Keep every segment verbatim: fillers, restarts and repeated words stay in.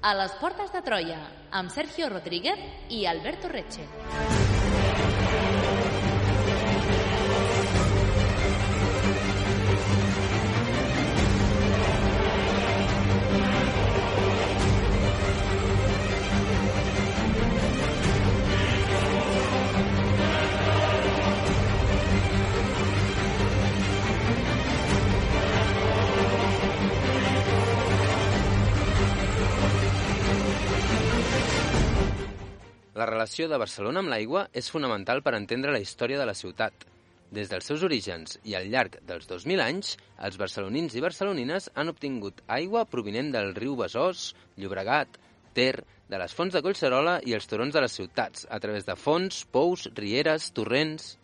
A les portes de Troia, amb Sergio Rodríguez i Alberto Reche. La relació de Barcelona amb l'aigua és fonamental per entendre la història de la ciutat. Des dels seus orígens i al llarg dels dos mil anys, els barcelonins i barcelonines han obtingut aigua provinent del riu Besòs, Llobregat, Ter, de les fonts de Collserola i els turons de les ciutats, a través de fonts, pous, rieres, torrents.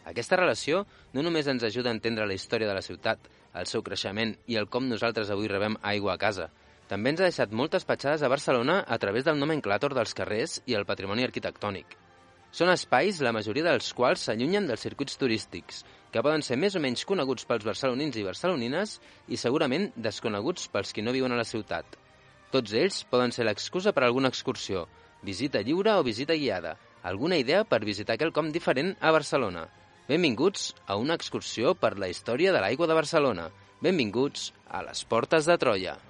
Aquesta relació no només ens ajuda a entendre la història de la ciutat, el seu creixement i el com nosaltres avui rebem aigua a casa. També ens ha deixat moltes petjades a Barcelona a través del nomenclàtor dels carrers i el patrimoni arquitectònic. Són espais, la majoria dels quals s'allunyen dels circuits turístics, que poden ser més o menys coneguts pels barcelonins i barcelonines i segurament desconeguts pels qui no viuen a la ciutat. Tots ells poden ser l'excusa per a alguna excursió, visita lliure o visita guiada, alguna idea per visitar quelcom diferent a Barcelona. Benvinguts a una excursió per la història de l'aigua de Barcelona. Benvinguts a les portes de Troia.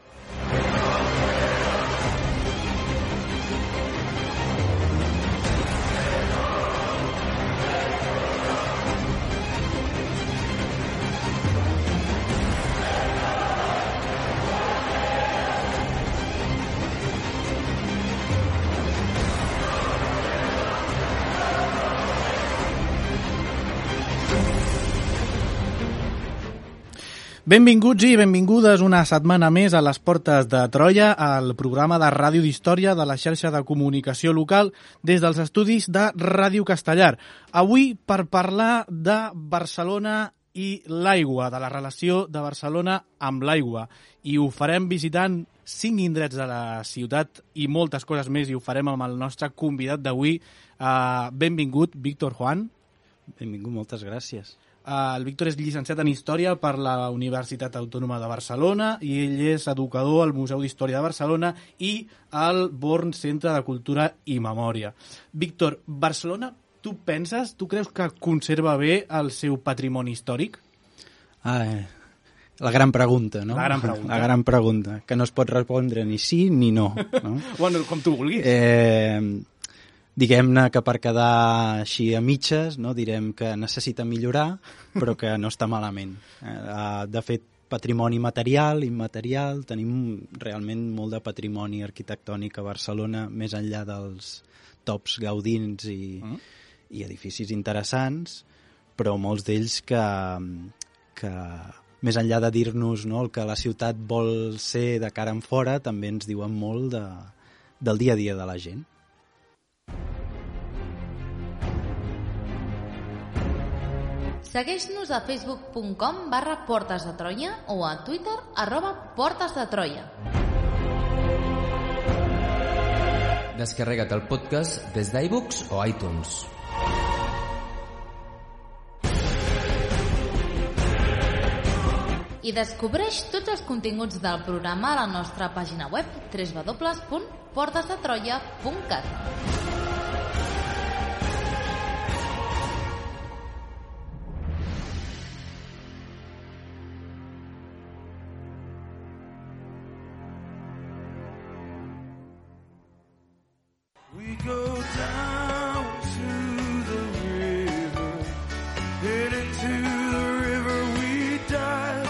Benvinguts i benvingudes una setmana més a les portes de Troia, al programa de ràdio d'història de la xarxa de comunicació local des dels estudis de Ràdio Castellar. Avui per parlar de Barcelona i l'aigua, de la relació de Barcelona amb l'aigua. I ho farem visitant cinc indrets de la ciutat i moltes coses més, i ho farem amb el nostre convidat d'avui. Uh, benvingut, Víctor Juan. Benvingut, moltes gràcies. El Víctor és llicenciat en Història per la Universitat Autònoma de Barcelona i ell és educador al Museu d'Història de Barcelona i al Born Centre de Cultura i Memòria. Víctor, Barcelona, tu penses, tu creus que conserva bé el seu patrimoni històric? Ah, eh, la gran pregunta, no? La gran pregunta. La gran pregunta, que no es pot respondre ni sí ni no. no? Bueno, com tu vulguis. Eh... Diguem-ne que per quedar així a mitges, no, direm que necessita millorar, però que no està malament. De fet, patrimoni material, immaterial, tenim realment molt de patrimoni arquitectònic a Barcelona, més enllà dels tops gaudins i, mm. i edificis interessants, però molts d'ells que, que més enllà de dir-nos, no, el que la ciutat vol ser de cara en fora, també ens diuen molt de, del dia a dia de la gent. Segueix-nos a facebook punt com barra Portes de Troia o a Twitter arroba Portes de Troia. Descarrega't el podcast des d'iBooks o iTunes. I descobreix tots els continguts del programa a la nostra pàgina web w w w punt portes de troia punt cat. We go down to the river, and into the river we dive.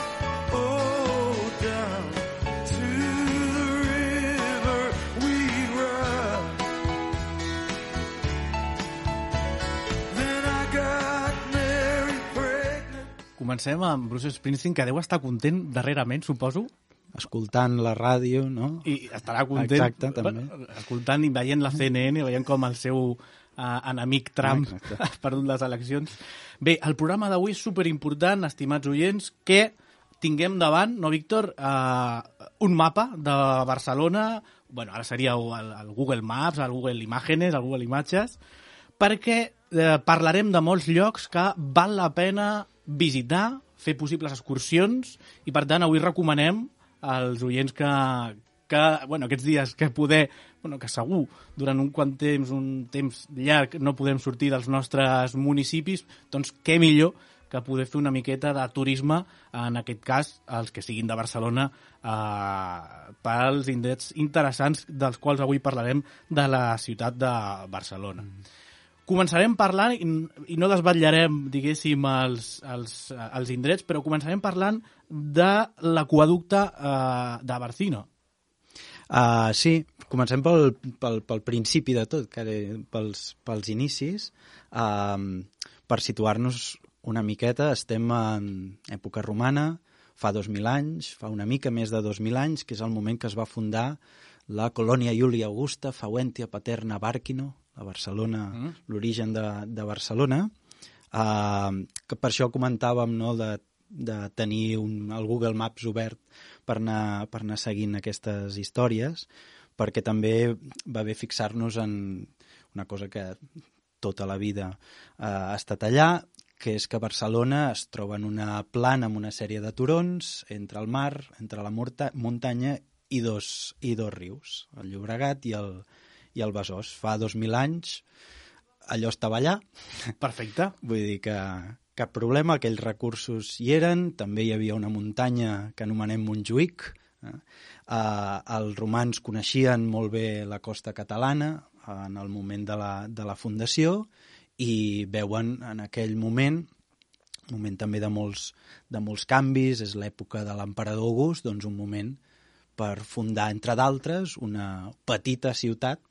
Oh, down to the river we ride. Then I got Mary pregnant. Comencem amb Bruce Springsteen, que deu estar content darrerament, suposo. Escoltant la ràdio, no? I estarà content. Exacte, també. Escoltant i veient la C N N, veient com el seu uh, enemic Trump Exacte. ha perdut les eleccions. Bé, el programa d'avui és superimportant, estimats oients, que tinguem davant, no, Víctor, uh, un mapa de Barcelona, bueno, ara seria el, el Google Maps, el Google Imágenes, el Google Imatges, perquè eh, parlarem de molts llocs que val la pena visitar, fer possibles excursions, i per tant avui recomanem als oients que, que, bueno, aquests dies que poder, bueno, que segur, durant un quant temps, un temps llarg, no podem sortir dels nostres municipis, doncs què millor que poder fer una miqueta de turisme, en aquest cas, els que siguin de Barcelona, eh, pels indrets interessants dels quals avui parlarem de la ciutat de Barcelona. Mm. Començarem parlant, i, i no desvetllarem, diguéssim, els, els, els indrets, però començarem parlant de l'aqüeducte eh, de Barcino. Uh, sí, comencem pel, pel, pel principi de tot, que pels, pels inicis. Uh, per situar-nos una miqueta, estem en època romana, fa dos mil anys, fa una mica més de dos mil anys, que és el moment que es va fundar la colònia Iulia Augusta Faventia Paterna Barquino, a Barcelona, mm. l'origen de, de Barcelona, uh, que per això comentàvem, no, de, de tenir un, el Google Maps obert per anar, per anar seguint aquestes històries, perquè també va bé fixar-nos en una cosa que tota la vida uh, ha estat allà, que és que Barcelona es troba en una plana amb una sèrie de turons entre el mar, entre la muntanya i dos, i dos rius, el Llobregat i el, i el Besòs. Fa dos mil anys allò estava allà. Perfecte. Vull dir que cap problema, aquells recursos hi eren, també hi havia una muntanya que anomenem Montjuïc. Eh? Uh, els romans coneixien molt bé la costa catalana en el moment de la, de la fundació, i veuen en aquell moment, moment també de molts, de molts canvis, és l'època de l'emperador August, doncs un moment per fundar, entre d'altres, una petita ciutat,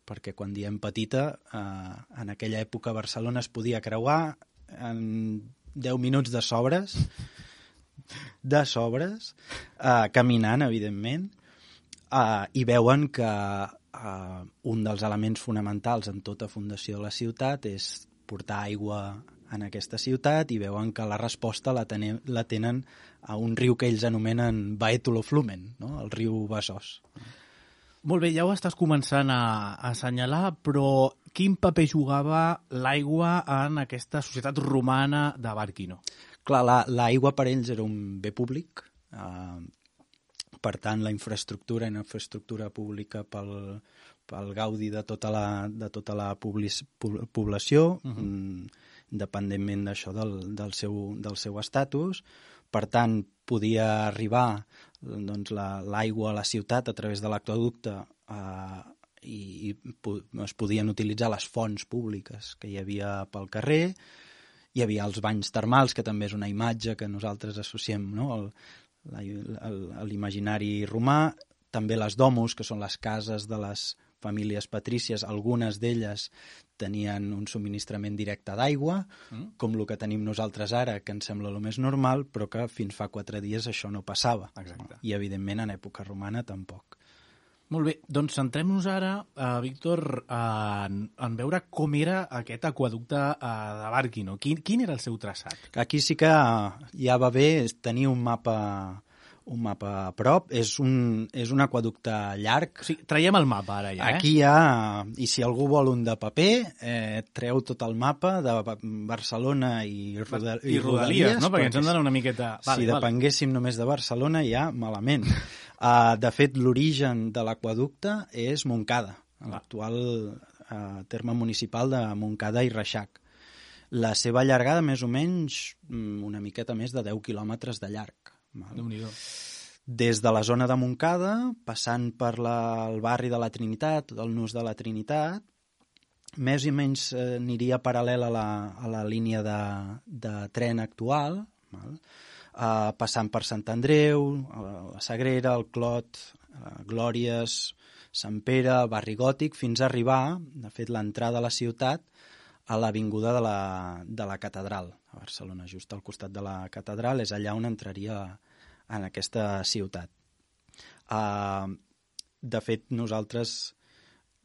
perquè quan diem petita, eh, en aquella època Barcelona es podia creuar en deu minuts de sobres, de sobres, eh, caminant, evidentment, eh, i veuen que Uh, un dels elements fonamentals en tota fundació de la ciutat és portar aigua en aquesta ciutat, i veuen que la resposta la, tenen, la tenen a un riu que ells anomenen Baetulo Flumen, no? El riu Besòs. Molt bé, ja ho estàs començant a, a assenyalar, però quin paper jugava l'aigua en aquesta societat romana de Barquino? Clar, la, l'aigua per ells era un bé públic, uh, per tant, la infraestructura i la infraestructura pública pel, pel gaudi de tota la, de tota la publis, població, uh-huh. independentment d'això del, del, seu, del seu estatus. Per tant, podia arribar doncs, la, l'aigua a la ciutat a través de l'aqüeducte eh, i, i es podien utilitzar les fonts públiques que hi havia pel carrer. Hi havia els banys termals, que també és una imatge que nosaltres associem, no? El, a l'imaginari romà, també les domus, que són les cases de les famílies patrícies, algunes d'elles tenien un subministrament directe d'aigua, mm. com el que tenim nosaltres ara, que ens sembla el més normal, però que fins fa quatre dies això no passava. Exacte. I, evidentment, en època romana tampoc. Molt bé, doncs centrem-nos ara, eh, Víctor, eh, en, en veure com era aquest aqueducte eh, de Barquino. Quin, quin era el seu traçat? Aquí sí que ja va bé tenir un mapa, un mapa a prop. És un, és un aqueducte llarg. Sí, traiem el mapa ara ja, eh? Aquí hi ha, i si algú vol un de paper, eh, treu tot el mapa de Barcelona i, roda, i, i Rodalies, no? Perquè ens hem d'anar una miqueta... Vale, si depenguéssim vale. només de Barcelona, ja malament. Uh, de fet, l'origen de l'aqüeducte és Montcada, l'actual uh, terme municipal de Montcada i Reixac. La seva llargada, més o menys, una miqueta més de deu quilòmetres de llarg. Déu-n'hi-do. Des de la zona de Montcada, passant per la, el barri de la Trinitat, el nus de la Trinitat, més o menys eh, aniria paral·lel a la, a la línia de, de tren actual, val? Uh, passant per Sant Andreu, la Sagrera, el Clot, uh, Glòries, Sant Pere, Barri Gòtic, fins a arribar, de fet, l'entrada a la ciutat, a l'avinguda de la, de la Catedral, a Barcelona, just al costat de la Catedral, és allà on entraria en aquesta ciutat. Uh, de fet, nosaltres,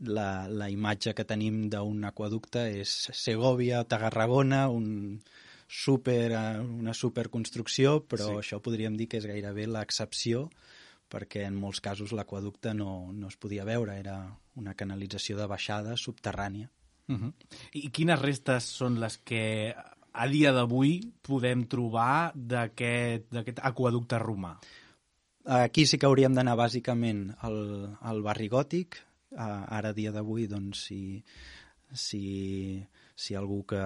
la, la imatge que tenim d'un aqueducte és Segòvia, Tarragona, un... super, una superconstrucció, però sí. Això podríem dir que és gairebé l'excepció, perquè en molts casos l'aqüeducte no, no es podia veure, era una canalització de baixada subterrània. Uh-huh. I quines restes són les que a dia d'avui podem trobar d'aquest, d'aquest aqueducte romà? aquí sí que hauríem d'anar bàsicament al, al barri gòtic. Uh, ara, a dia d'avui, doncs, si, si, si algú que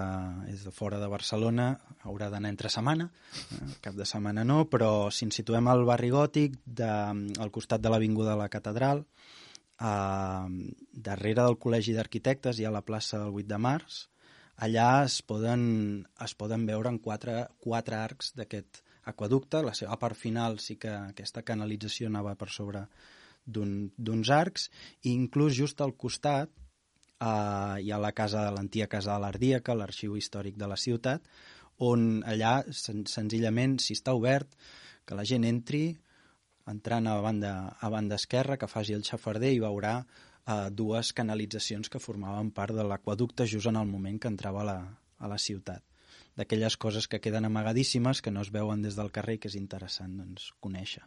és de fora de Barcelona haurà d'anar entre setmana, uh, cap de setmana no, però si ens situem al barri gòtic, de, al costat de l'Avinguda de la Catedral, uh, darrere del Col·legi d'Arquitectes hi ha la plaça del vuit de març. Allà es poden, es poden veure en quatre, quatre arcs d'aquest aquaducte. La seva part final sí que aquesta canalització anava per sobre d'uns un, arcs, i inclús just al costat eh, hi ha la casa, l'antiga casa de l'Ardíaca, l'arxiu històric de la ciutat, on allà sen senzillament, si està obert, que la gent entri entrant a banda, a banda esquerra, que faci el xafarder i veurà eh, dues canalitzacions que formaven part de l'aquaducte just en el moment que entrava a la, a la ciutat. D'aquelles coses que queden amagadíssimes, que no es veuen des del carrer, que és interessant, doncs, conèixer.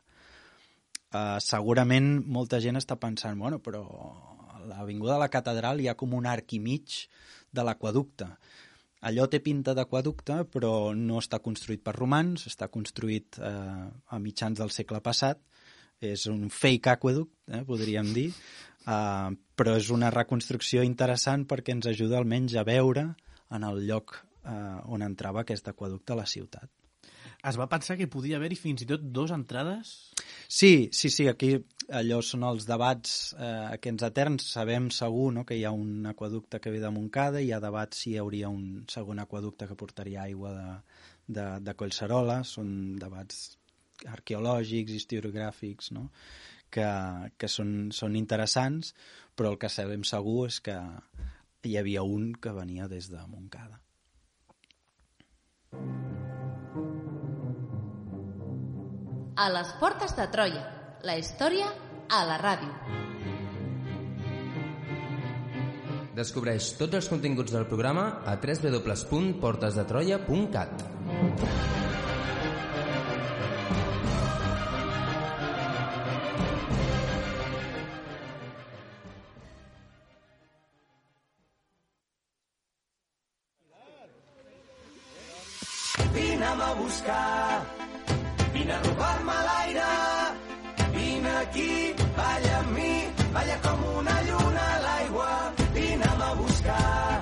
Uh, segurament molta gent està pensant, bueno, però a l'Avinguda de la Catedral hi ha com un arc i mig de l'aquaducte. Allò té pinta d'aquaducte, però no està construït per romans, està construït eh, a mitjans del segle passat. És un fake aqueduct, eh, podríem dir, uh, però és una reconstrucció interessant perquè ens ajuda almenys a veure en el lloc eh, on entrava aquest aqueducte a la ciutat. Es va pensar que podia haver-hi fins i tot dues entrades? Sí, sí, sí, aquí allò són els debats eh, aquests eterns. Sabem segur, no, que hi ha un aqueducte que ve de Montcada, i hi ha debats si hi hauria un segon aqueducte que portaria aigua de, de, de Collserola. Són debats arqueològics, historiogràfics, no? que, que són, són interessants, però el que sabem segur és que hi havia un que venia des de Montcada. A les portes de Troia, la història a la ràdio. Descobreix tots els continguts del programa a w w w punt portes de troia punt cat. Vine'm a buscar, vine a robar-me l'aire, vine aquí, balla amb mi, balla com una lluna a l'aigua. Vine'm a buscar,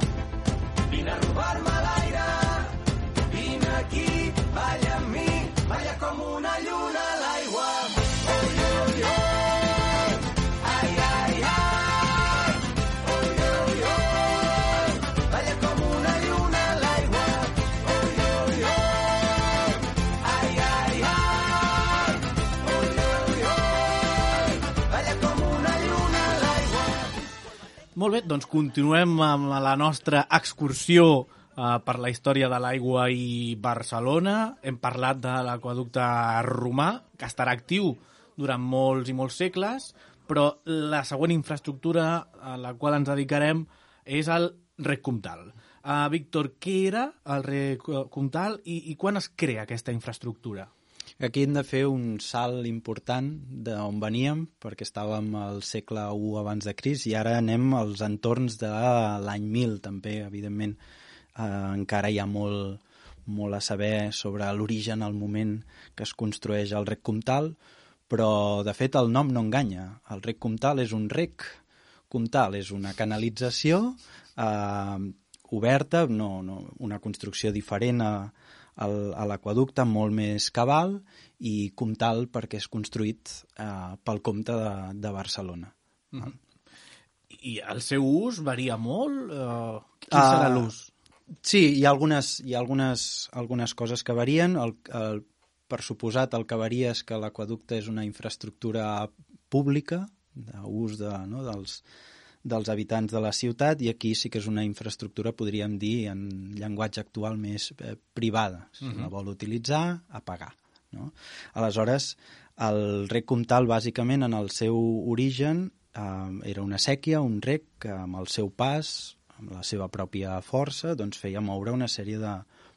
vine a robar-me l'aire, vine aquí, balla amb mi, balla com una lluna a l'aigua. Oi, oi, oi, ai, ai, ai, oi, oi, oi, balla com una lluna a l'aigua. Oi, oi, oi, ai, ai, ai, oi, oi, oi, balla com una lluna a l'aigua. Molt bé, doncs continuem amb la nostra excursió eh, per la història de l'aigua i Barcelona. Hem parlat de l'aqueducte romà, que estarà actiu durant molts i molts segles, però la següent infraestructura a la qual ens dedicarem és el Rec Comtal. Uh, Víctor, què era el Rec Comtal i, i quan es crea aquesta infraestructura? Aquí hem de fer un salt important d'on veníem, perquè estàvem al segle u abans de Crist, i ara anem als entorns de l'any mil, també, evidentment. Eh, encara hi ha molt, molt a saber sobre l'origen, el moment que es construeix el Rec Comtal, però, de fet, el nom no enganya. El Rec Comtal és un rec comtal, és una canalització eh, oberta, no, no, una construcció diferent a a l'aqueducte, molt més cabal, i comtal perquè és construït eh, pel comte de, de Barcelona. Mm-hmm. I el seu ús varia molt? Uh, quin serà uh, l'ús? Sí, hi ha algunes, hi ha algunes, algunes coses que varien. El, el, per suposat, el que varia és que l'aqueducte és una infraestructura pública, d'ús de, no, dels, dels habitants de la ciutat, i aquí sí que és una infraestructura, podríem dir, en llenguatge actual més eh, privada. Si uh-huh. la vol utilitzar, a pagar. No? Aleshores, el rec comtal, bàsicament, en el seu origen, eh, era una sèquia, un rec que amb el seu pas, amb la seva pròpia força, doncs feia moure una sèrie de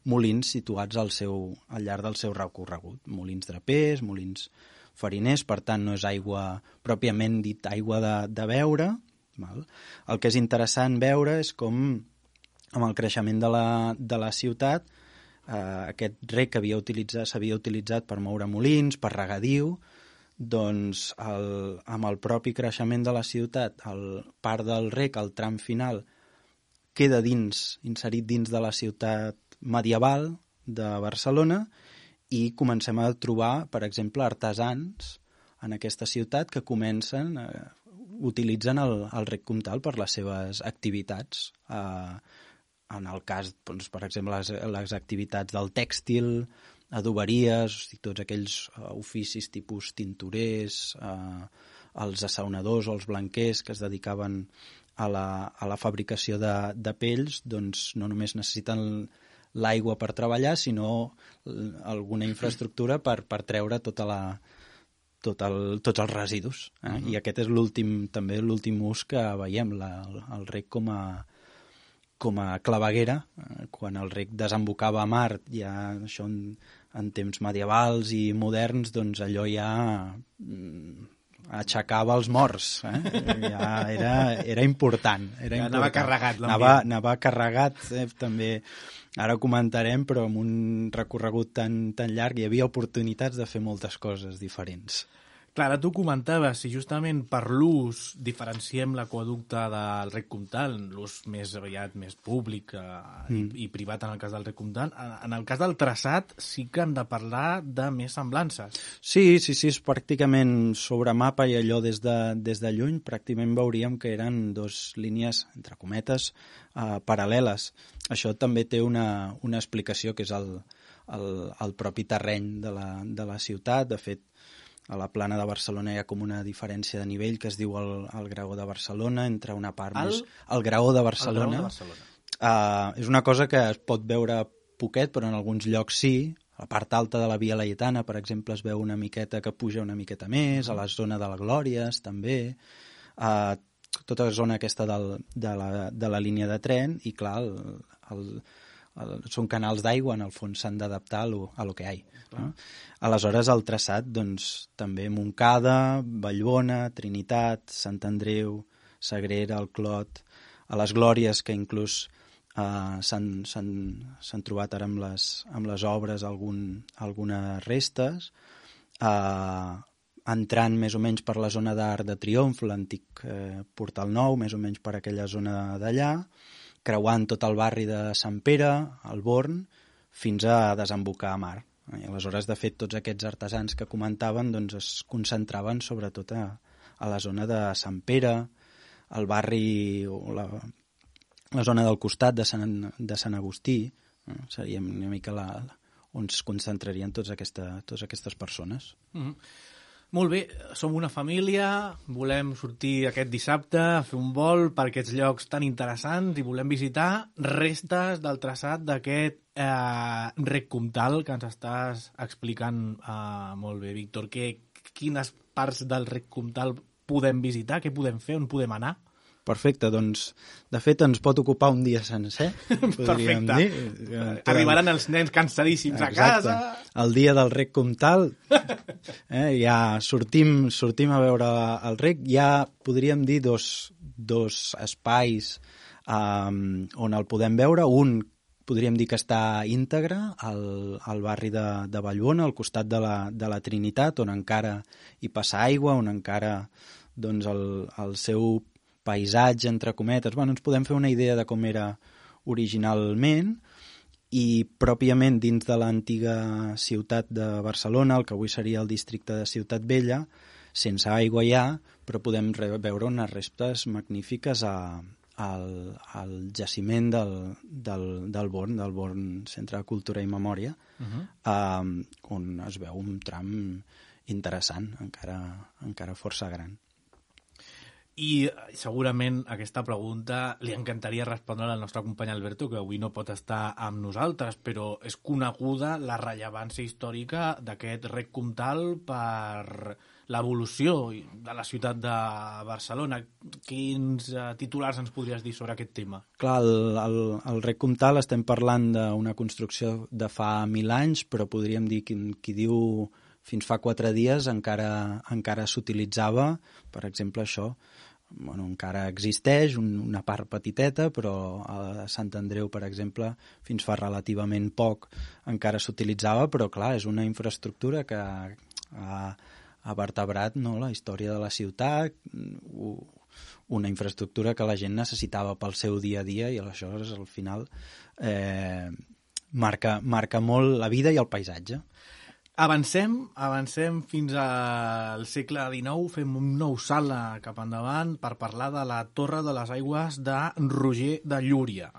molins situats al, seu, al llarg del seu recorregut. Molins drapers, molins fariners, per tant, no és aigua pròpiament dit aigua de, de beure. Val? El que és interessant veure és com, amb el creixement de la, de la ciutat, eh, aquest rec que havia utilitzat, s'havia utilitzat per moure molins, per regadiu, doncs el, amb el propi creixement de la ciutat, el part del rec, el tram final, queda dins, inserit dins de la ciutat medieval de Barcelona i comencem a trobar, per exemple, artesans en aquesta ciutat que comencen, eh, utilitzen el, el rec comtal per les seves activitats. Eh, en el cas, doncs, per exemple, les, les activitats del tèxtil, adoberies, o sigui, tots aquells uh, oficis tipus tintorers, uh, els assaonadors o els blanquers que es dedicaven a la, a la fabricació de, de pells, doncs no només necessiten l'aigua per treballar, sinó alguna infraestructura per, per treure tota la, tot el, tots els residus. Eh? Uh-huh. I aquest és l'últim, també l'últim ús que veiem, la, el, el rec com a com a claveguera, eh, quan el rec desembocava a mar, ja això en, en temps medievals i moderns, doncs allò ja mm, aixecava els morts, eh? Ja era, era important. Era ja important. Anava carregat l'ambient. Anava, anava carregat, eh, també, ara ho comentarem, però amb un recorregut tan, tan llarg hi havia oportunitats de fer moltes coses diferents. Clar, tu comentaves, si justament per l'ús diferenciem l'aqüeducte del rec comtal, l'ús més aviat més públic eh, mm. i, i privat en el cas del rec comtal, en, en el cas del traçat sí que hem de parlar de més semblances. Sí, sí, sí, és pràcticament sobre mapa i allò des de, des de lluny pràcticament veuríem que eren dos línies, entre cometes, eh, paral·leles. Això també té una, una explicació que és el, el, el propi terreny de la, de la ciutat. De fet, a la plana de Barcelona hi ha com una diferència de nivell que es diu el, el Graó de Barcelona, entre una part el, més... El Graó de Barcelona. El Graó de Barcelona. Uh, és una cosa que es pot veure poquet, però en alguns llocs sí. A la part alta de la Via Laietana, per exemple, es veu una miqueta que puja una miqueta més, a la zona de la Glòries, també. Uh, tota la zona aquesta del, de, la, de la línia de tren, i clar, el, el, el, són canals d'aigua, en el fons s'han d'adaptar a lo, a lo que hi ha. No? Aleshores, el traçat, doncs, també Montcada, Vallbona, Trinitat, Sant Andreu, Sagrera, el Clot, a les Glòries, que inclús eh, s'han trobat ara amb les, amb les obres algun, algunes restes, eh, entrant més o menys per la zona d'Arc de Triomf, l'antic eh, Portal Nou, més o menys per aquella zona d'allà, creuant tot el barri de Sant Pere, el Born, fins a desembocar a mar. I aleshores, de fet, tots aquests artesans que comentaven doncs, es concentraven sobretot a, a la zona de Sant Pere, el barri o la, la zona del costat de Sant, de Sant Agustí, eh? Seria una mica la, on es concentrarien tots aquesta, totes aquestes persones. Mm-hmm. Molt bé, som una família, volem sortir aquest dissabte a fer un vol per aquests llocs tan interessants i volem visitar restes del traçat d'aquest eh, rec comtal que ens estàs explicant eh, molt bé, Víctor. Que, quines parts del rec comtal podem visitar? Què podem fer? On podem anar? Perfecte, doncs, de fet, ens pot ocupar un dia sencer, podríem Perfecte. dir. Arribaran els nens cansadíssims Exacte. a casa. El dia del rec comtal, eh, ja sortim, sortim a veure el rec, ja podríem dir dos, dos espais um, on el podem veure. Un, podríem dir que està íntegre al, al barri de, de Vallbona, al costat de la, de la Trinitat, on encara hi passa aigua, on encara doncs, el, el seu paisatge, entre cometes, bueno, ens podem fer una idea de com era originalment, i pròpiament dins de l'antiga ciutat de Barcelona, el que avui seria el districte de Ciutat Vella, sense aigua hi ha, però podem veure unes restes magnífiques a, al, al jaciment del, del, del Born, del Born Centre de Cultura i Memòria, uh-huh. eh, on es veu un tram interessant, encara, encara força gran. I segurament aquesta pregunta li encantaria respondre al nostre company Alberto, que avui no pot estar amb nosaltres, però és coneguda la rellevància històrica d'aquest rec comtal per l'evolució de la ciutat de Barcelona. Quins uh, titulars ens podries dir sobre aquest tema? Clar, el, el, el rec comtal estem parlant d'una construcció de fa mil anys, però podríem dir qui, qui diu fins fa quatre dies encara, encara s'utilitzava, per exemple, això, bueno, encara existeix, un, una part petiteta, però a Sant Andreu, per exemple, fins fa relativament poc encara s'utilitzava, però clar, és una infraestructura que ha, ha vertebrat, no?, la història de la ciutat, una infraestructura que la gent necessitava pel seu dia a dia i aleshores al final eh, marca, marca molt la vida i el paisatge. Avancem, avancem fins al segle dinou, fem un nou salt cap endavant per parlar de la Torre de les Aigües de Roger de Llúria.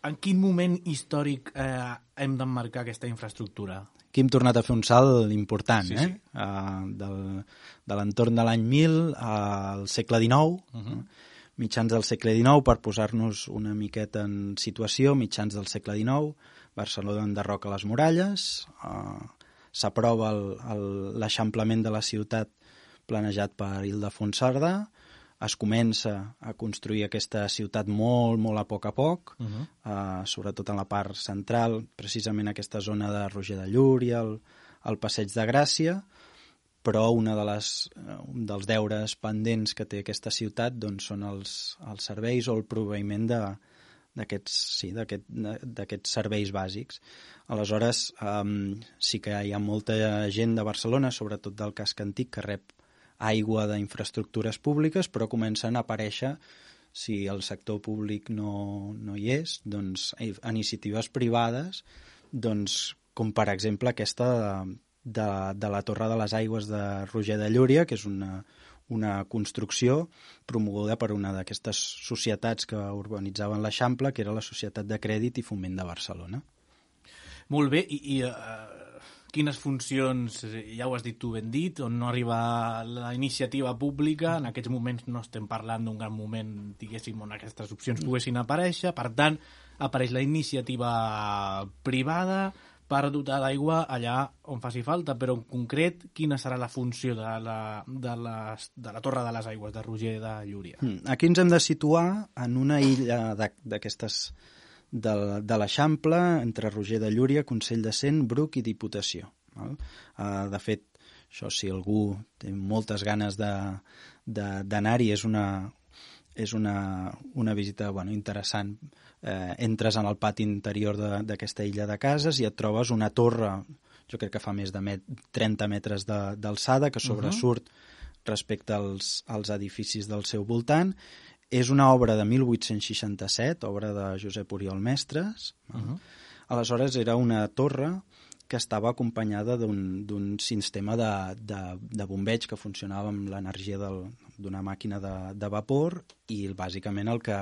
En quin moment històric eh, hem d'emmarcar aquesta infraestructura? Aquí hem tornat a fer un salt important, sí, eh? Sí. Uh, del, de l'entorn de l'any mil al segle dinou, uh-huh. mitjans del segle dinou, per posar-nos una miqueta en situació, mitjans del segle dinou, Barcelona enderroca les muralles, uh, s'aprova l'eixamplament de la ciutat planejat per Ildefons Cerdà, es comença a construir aquesta ciutat molt, molt a poc a poc, uh-huh. eh, sobretot en la part central, precisament aquesta zona de Roger de Llúria, el, el Passeig de Gràcia, però una de les, un dels deures pendents que té aquesta ciutat doncs, són els, els serveis o el proveïment de d'aquests sí, d'aquest, d'aquests serveis bàsics. Aleshores, um, sí que hi ha molta gent de Barcelona, sobretot del casc antic, que rep aigua d'infraestructures públiques, però comencen a aparèixer, si el sector públic no, no hi és, doncs, iniciatives privades, doncs, com per exemple aquesta de, de, de la Torre de les Aigües de Roger de Llúria, que és una una construcció promoguda per una d'aquestes societats que urbanitzaven l'Eixample, que era la Societat de Crèdit i Foment de Barcelona. Molt bé, i, i uh, quines funcions, ja ho has dit tu ben dit, on no arriba la iniciativa pública, en aquests moments no estem parlant d'un gran moment, diguéssim, on aquestes opcions poguessin aparèixer, per tant, apareix la iniciativa privada per dotar d'aigua allà on faci falta, però en concret, quina serà la funció de la, de les, de la Torre de les Aigües de Roger de Llúria? Aquí ens hem de situar en una illa d'aquestes de, de l'Eixample, entre Roger de Llúria, Consell de Cent, Bruc i Diputació. Val? Uh, de fet, això si algú té moltes ganes d'anar-hi, és una, és una, una visita bueno, interessant. Eh, entres en el pati interior d'aquesta illa de cases i et trobes una torre, jo crec que fa més de met, trenta metres d'alçada, que sobresurt uh-huh. respecte als, als edificis del seu voltant. És una obra de mil vuit-cents seixanta-set, obra de Josep Oriol Mestres. Uh-huh. Aleshores era una torre que estava acompanyada d'un sistema de, de, de bombeig que funcionava amb l'energia d'una màquina de, de vapor i bàsicament el que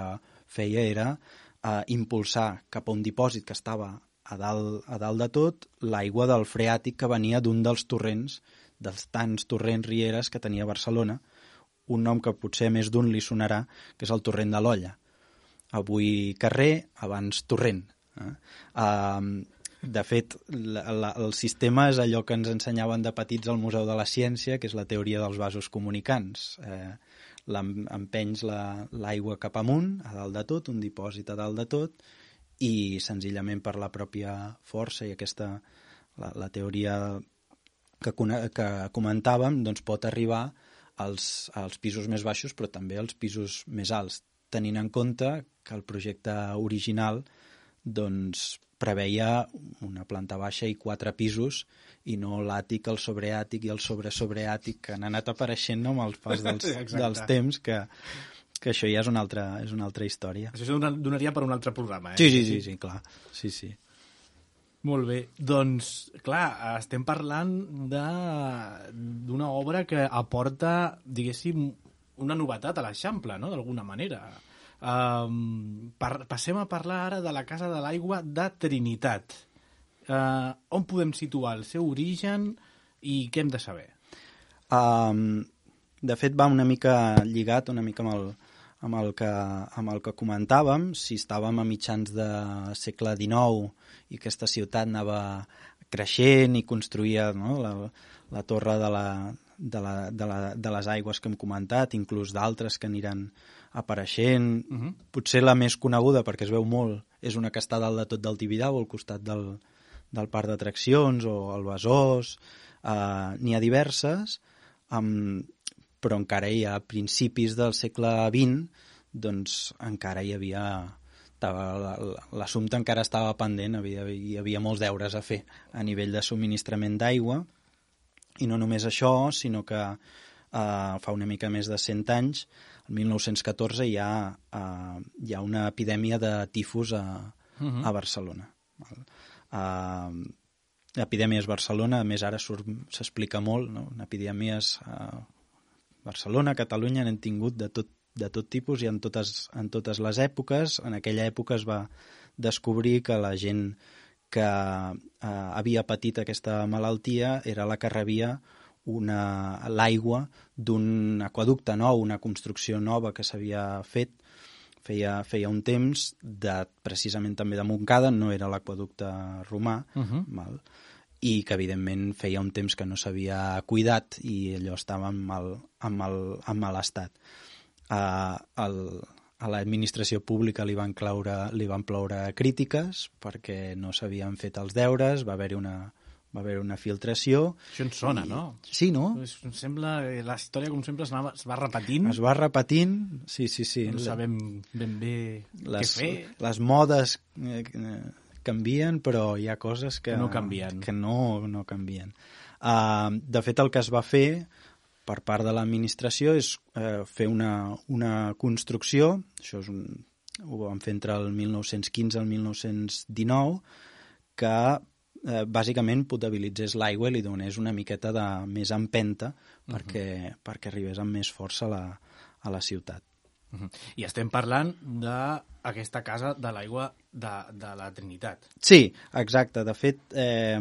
feia era a impulsar cap a un dipòsit que estava a dalt, a dalt de tot l'aigua del freàtic que venia d'un dels torrents, dels tants torrents rieres que tenia Barcelona, un nom que potser més d'un li sonarà, que és el torrent de l'Olla. Avui carrer, abans torrent. Eh? Uh, de fet, la, la, el sistema és allò que ens ensenyaven de petits al Museu de la Ciència, que és la teoria dels vasos comunicants. Eh, empenys l'aigua cap amunt, a dalt de tot, un dipòsit a dalt de tot, i senzillament per la pròpia força i aquesta, la, la teoria que, que comentàvem, doncs pot arribar als, als pisos més baixos, però també als pisos més alts, tenint en compte que el projecte original doncs, preveia una planta baixa i quatre pisos i no l'àtic, el sobreàtic i el sobre-sobreàtic que han anat apareixent no, amb el pas dels, dels temps, que, que això ja és una altra, és una altra història. Això donaria per un altre programa, eh? Sí, sí, sí, sí, clar. Sí, sí. Molt bé. Doncs, clar, estem parlant d'una obra que aporta, diguéssim, una novetat a l'Eixample, no?, d'alguna manera. Um, par, passem a parlar ara de la Casa de l'Aigua de Trinitat. Uh, on podem situar el seu origen i què hem de saber? Um, de fet, va una mica lligat una mica amb el, amb el, que, amb el que comentàvem. Si estàvem a mitjans de segle dinou i aquesta ciutat anava creixent i construïa no, la, la torre de, la, de, la, de, la, de les aigües que hem comentat, inclús d'altres que aniran apareixent. Uh-huh. Potser la més coneguda, perquè es veu molt, és una que està dalt de tot del Tibidabo, al costat del, del parc d'atraccions, o el Besòs. Uh, N'hi ha diverses, um, però encara hi ha a principis del segle vint, doncs encara hi havia... L'assumpte encara estava pendent, havia, hi havia molts deures a fer a nivell de subministrament d'aigua, I no només això, sinó que eh, fa una mica més de cent anys, el mil nou-cents catorze, hi ha, eh, hi ha una epidèmia de tifus a, uh-huh. a Barcelona. Uh, epidèmies Barcelona, a més ara s'explica molt, no? Epidèmies a Barcelona, Catalunya, n'hem tingut de tot, de tot tipus i en totes, en totes les èpoques. En aquella època es va descobrir que la gent que eh, havia patit aquesta malaltia era la que rebia una, l'aigua d'un aqüeducte nou, una construcció nova que s'havia fet feia, feia un temps, de, precisament també de Montcada, no era l'aqüeducte romà, uh-huh. val? I que evidentment feia un temps que no s'havia cuidat i allò estava en mal, en mal, en mal estat. Uh, el, a l'administració pública li van, claure, li van ploure crítiques perquè no s'havien fet els deures, va haver-hi una, va haver una filtració. Això ens sona, i... no? Sí, no? Es, sembla, la història, com sempre, es, anava, es va repetint. Es va repetint, sí, sí, sí. No sabem ben bé les, què fer. Les modes eh, canvien, però hi ha coses que, que no canvien. Que no, no canvien. Uh, de fet, el que es va fer per part de l'administració és eh, fer una, una construcció, això és un, ho vam fer entre el mil nou-cents quinze i el mil nou-cents dinou, que eh, bàsicament potabilitzés l'aigua i li donés una miqueta de més empenta perquè, uh-huh. perquè arribés amb més força a la, a la ciutat. Uh-huh. I estem parlant d'aquesta casa de l'aigua de, de la Trinitat. Sí, exacte. De fet, eh,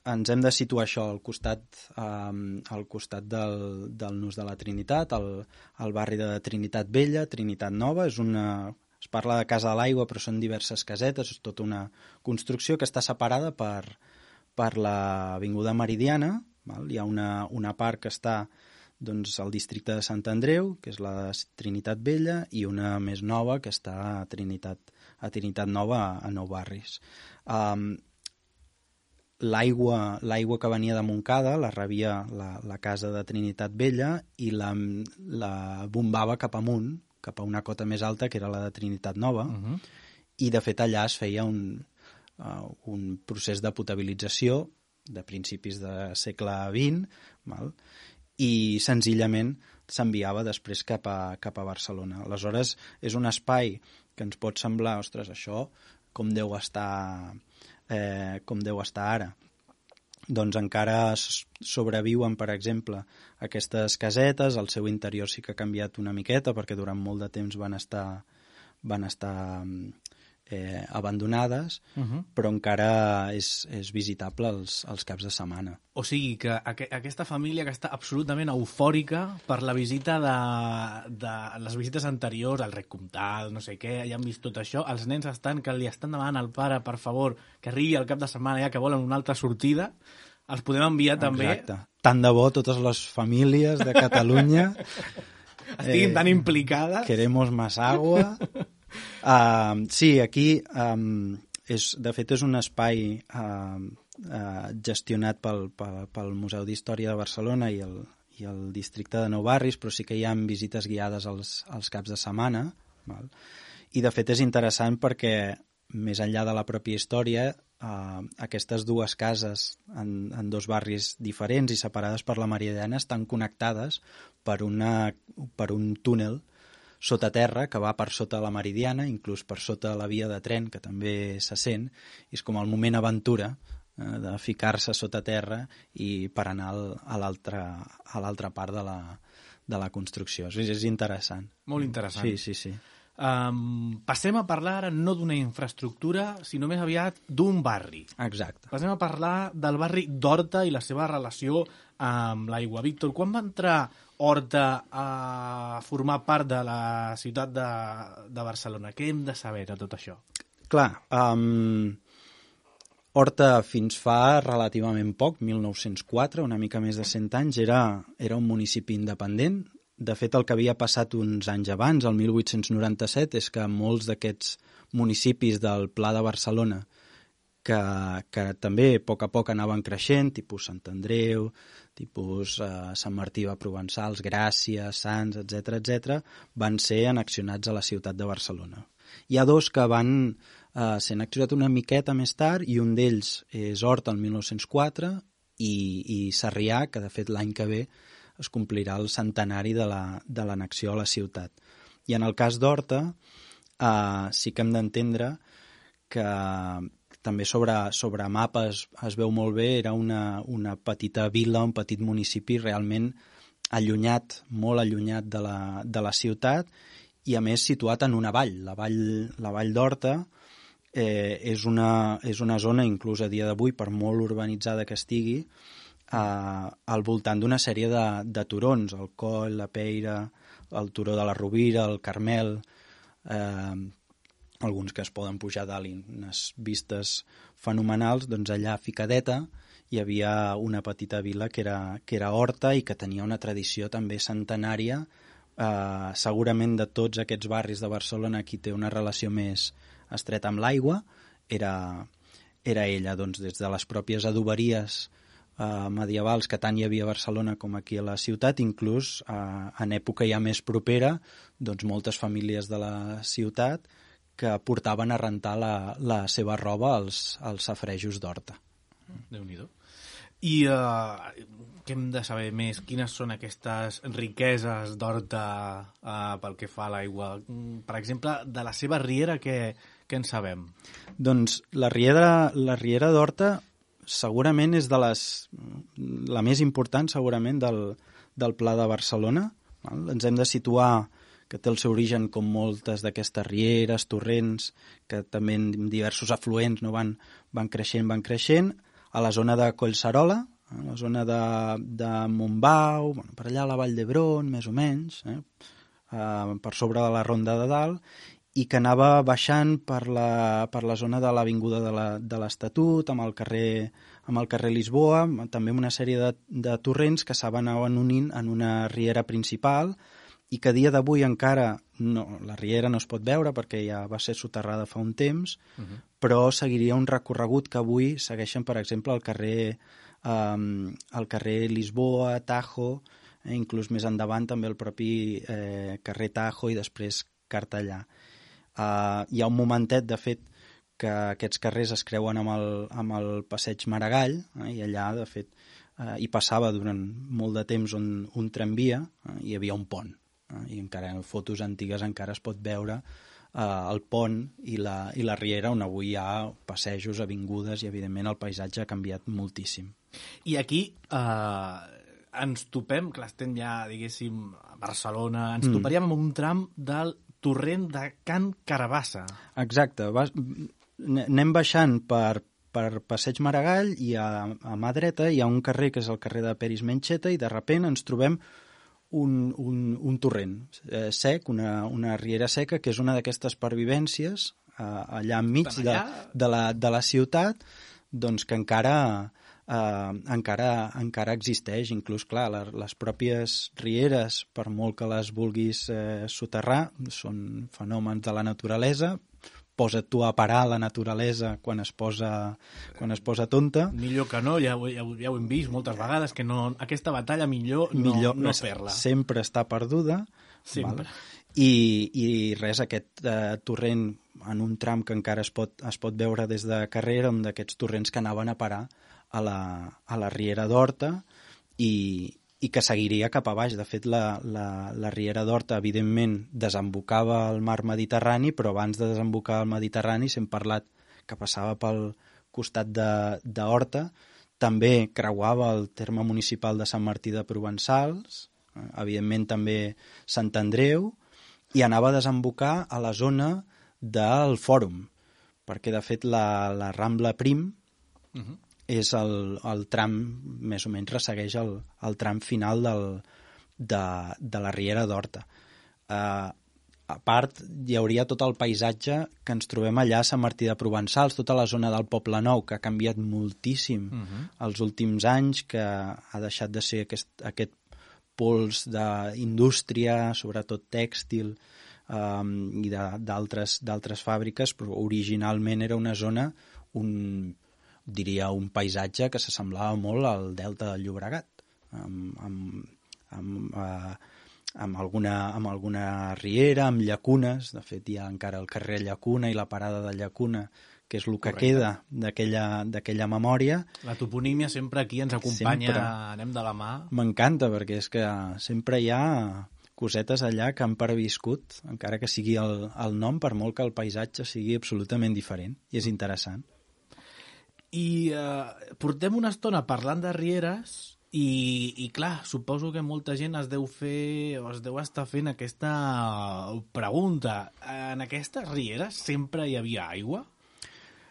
ens hem de situar això al costat, eh, al costat del, del Nus de la Trinitat, al, al barri de Trinitat Vella, Trinitat Nova. És una, es parla de Casa de l'Aigua, però són diverses casetes, és tota una construcció que està separada per, per l'Avinguda Meridiana. Val? Hi ha una, una part que està doncs, al districte de Sant Andreu, que és la Trinitat Vella, i una més nova que està a Trinitat, a Trinitat Nova, a, a Nou Barris. Um, l'aigua, l'aigua que venia de Montcada la rebia la, la casa de Trinitat Vella i la, la bombava cap amunt, cap a una cota més alta, que era la de Trinitat Nova, uh-huh. i de fet allà es feia un, uh, un procés de potabilització de principis de segle vint, val? I senzillament s'enviava després cap a, cap a Barcelona. Aleshores, és un espai que ens pot semblar, ostres, això com deu estar, eh, com deu estar ara. Doncs encara sobreviuen, per exemple, aquestes casetes, el seu interior sí que ha canviat una miqueta perquè durant molt de temps van estar, van estar eh, abandonades, uh-huh. però encara és, és visitable els, els caps de setmana. O sigui que aqu aquesta família que està absolutament eufòrica per la visita de, de les visites anteriors, al Rec Comtal, no sé què, ja han vist tot això, els nens estan que li estan demanant al pare, per favor, que arribi al cap de setmana ja que volen una altra sortida, els podem enviar també... Exacte. Tant de bo totes les famílies de Catalunya estiguin eh, tan implicades. Queremos más agua. Uh, sí, aquí um, és, de fet és un espai uh, uh, gestionat pel, pel, pel Museu d'Història de Barcelona i el, i el districte de Nou Barris, però sí que hi ha visites guiades als, als caps de setmana, val? I de fet és interessant perquè més enllà de la pròpia història, uh, aquestes dues cases en, en dos barris diferents i separades per la Meridiana estan connectades per, una, per un túnel sota terra que va per sota la Meridiana, inclús per sota la via de tren, que també se sent, i és com el moment aventura eh, de ficar-se sota terra i per anar al, a l'altra part de la, de la construcció. És, és interessant. Molt interessant. Sí, sí, sí. Um, passem a parlar ara no d'una infraestructura, sinó més aviat d'un barri. Exacte. Passem a parlar del barri d'Horta i la seva relació amb l'aigua. Víctor, quan va entrar Horta a formar part de la ciutat de, de Barcelona? Què hem de saber de tot això? Clar, um, Horta fins fa relativament poc, mil nou-cents quatre, una mica més de cent anys, era, era un municipi independent. De fet, el que havia passat uns anys abans, el mil vuit-cents noranta-set, és que molts d'aquests municipis del Pla de Barcelona, que, que també a poc a poc anaven creixent, tipus Sant Andreu, tipus eh, Sant Martí de Provençals, Gràcia, Sants, etcètera, etcètera, van ser annexionats a la ciutat de Barcelona. Hi ha dos que van eh, ser annexionats una miqueta més tard, i un d'ells és Horta, el mil nou-cents quatre, i, i Sarrià, que de fet l'any que ve es complirà el centenari de l'annexió a la ciutat. I en el cas d'Horta eh, sí que hem d'entendre que també sobre, sobre mapes es veu molt bé, era una, una petita vila, un petit municipi realment allunyat, molt allunyat de la, de la ciutat, i a més situat en una vall. La vall, la vall d'Horta eh, és, una, és una zona, inclús a dia d'avui, per molt urbanitzada que estigui, eh, al voltant d'una sèrie de, de turons, el Coll, la Peira, el Turó de la Rovira, el Carmel, eh, alguns que es poden pujar dalt i unes vistes fenomenals. Doncs allà a Ficadeta hi havia una petita vila que era, que era Horta i que tenia una tradició també centenària. Uh, segurament de tots aquests barris de Barcelona qui té una relació més estreta amb l'aigua era, era ella, doncs des de les pròpies adoberies uh, medievals que tant hi havia a Barcelona com aquí a la ciutat, inclús uh, en època ja més propera, doncs moltes famílies de la ciutat que portaven a rentar la, la seva roba als, als safarejos d'Horta. Déu-n'hi-do. I uh, què hem de saber més? Quines són aquestes riqueses d'Horta uh, pel que fa a l'aigua? Per exemple, de la seva riera, què, què en sabem? Doncs la riera, la riera d'Horta segurament és de les, la més important segurament del, del Pla de Barcelona. Val? Ens hem de situar que té el seu origen com moltes d'aquestes rieres, torrents, que també en diversos afluents no, van, van creixent, van creixent, a la zona de Collserola, a la zona de, de Montbau, bueno, per allà a la Vall d'Hebron, més o menys, eh? Uh, per sobre de la Ronda de Dalt, i que anava baixant per la, per la zona de l'Avinguda de l'Estatut, amb el carrer, amb el carrer Lisboa, també amb una sèrie de, de torrents que s'anaven unint en una riera principal, i que a dia d'avui encara no, la riera no es pot veure perquè ja va ser soterrada fa un temps, uh-huh. però seguiria un recorregut que avui segueixen, per exemple, el carrer, um, el carrer Lisboa, Tajo, eh, inclús més endavant també el propi eh, carrer Tajo i després Cartellà. Uh, hi ha un momentet, de fet, que aquests carrers es creuen amb el, amb el passeig Maragall, eh, i allà, de fet, eh, hi passava durant molt de temps un, un tramvia, eh, i hi havia un pont. I encara en fotos antigues encara es pot veure eh, el pont i la, i la riera, on avui hi ha passejos, avingudes, i evidentment el paisatge ha canviat moltíssim. I aquí eh, ens topem, que l'estem ja, diguéssim, a Barcelona, ens mm. toparíem amb un tram del torrent de Can Carabassa. Exacte, vas, anem baixant per, per Passeig Maragall i a, a mà dreta hi ha un carrer que és el carrer de Peris Mencheta i de sobte ens trobem Un, un, un torrent eh, sec, una, una riera seca, que és una d'aquestes pervivències eh, allà enmig de, de, la, de la ciutat, doncs que encara, eh, encara, encara existeix. Inclús, clar, la, les pròpies rieres, per molt que les vulguis eh, soterrar, són fenòmens de la naturalesa. Posa't tu a parar la naturalesa quan es posa, quan es posa tonta. Millor que no, ja, ja, ja ho hem vist moltes vegades, que no, aquesta batalla millor no, millor, no fer-la. Sempre està perduda. Sempre. Val? I, I res, aquest eh, torrent en un tram que encara es pot, es pot veure des de carrera, un d'aquests torrents que anaven a parar a la, a la riera d'Horta i, i que seguiria cap a baix. De fet, la, la, la riera d'Horta, evidentment, desembocava al mar Mediterrani, però abans de desembocar al Mediterrani, si hem parlat que passava pel costat d'Horta, també creuava el terme municipal de Sant Martí de Provençals, eh, evidentment també Sant Andreu, i anava a desembocar a la zona del Fòrum, perquè, de fet, la, la Rambla Prim, uh-huh. és el, el tram, més o menys ressegueix el, el tram final del, de, de la riera d'Horta. Uh, a part, hi hauria tot el paisatge que ens trobem allà a Sant Martí de Provençals, tota la zona del Poble Nou, que ha canviat moltíssim uh-huh. els últims anys, que ha deixat de ser aquest, aquest pols d'indústria, sobretot tèxtil, um, i d'altres d'altres fàbriques, però originalment era una zona, un diria un paisatge que s'assemblava molt al delta del Llobregat, amb, amb, amb, eh, amb, alguna, amb alguna riera, amb llacunes. De fet, hi ha encara el carrer Llacuna i la parada de Llacuna, que és el que Correcte. queda d'aquella d'aquella memòria. La toponímia sempre aquí ens acompanya, Sempre. anem de la mà. M'encanta, perquè és que sempre hi ha cosetes allà que han perviscut, encara que sigui el, el nom, per molt que el paisatge sigui absolutament diferent, i és interessant. I eh, portem una estona parlant de rieres i, i clar, suposo que molta gent es deu fer o es deu estar fent aquesta pregunta. En aquestes rieres sempre hi havia aigua?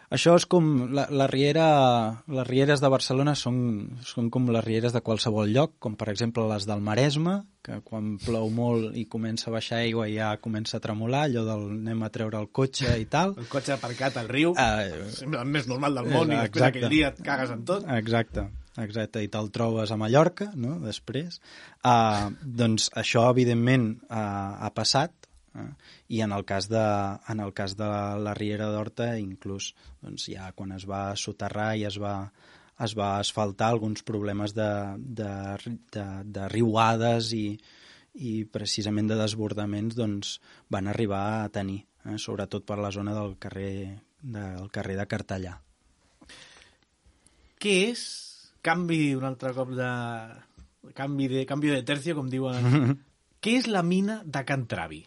Això és com... La, la riera, les rieres de Barcelona són, són com les rieres de qualsevol lloc, com per exemple les del Maresme, que quan plou molt i comença a baixar aigua ja comença a tremolar, allò del anem a treure el cotxe i tal. El cotxe aparcat al riu, Uh, sembla el més normal del món, i després exacte. aquell dia et cagues en tot. Exacte, exacte, i te'l trobes a Mallorca, no?, després. Uh, doncs això, evidentment, uh, ha passat, uh, i en el cas de, en el cas de la, la Riera d'Horta, inclús, doncs ja quan es va soterrar i es va, es va asfaltar, alguns problemes de, de, de, de riuades i, i precisament de desbordaments doncs, van arribar a tenir, eh, sobretot per la zona del carrer, del carrer de Cartellà. Què és, canvi un altre cop de... Canvi de, canvi de tercio, com diuen. Què és la mina de Can Travi?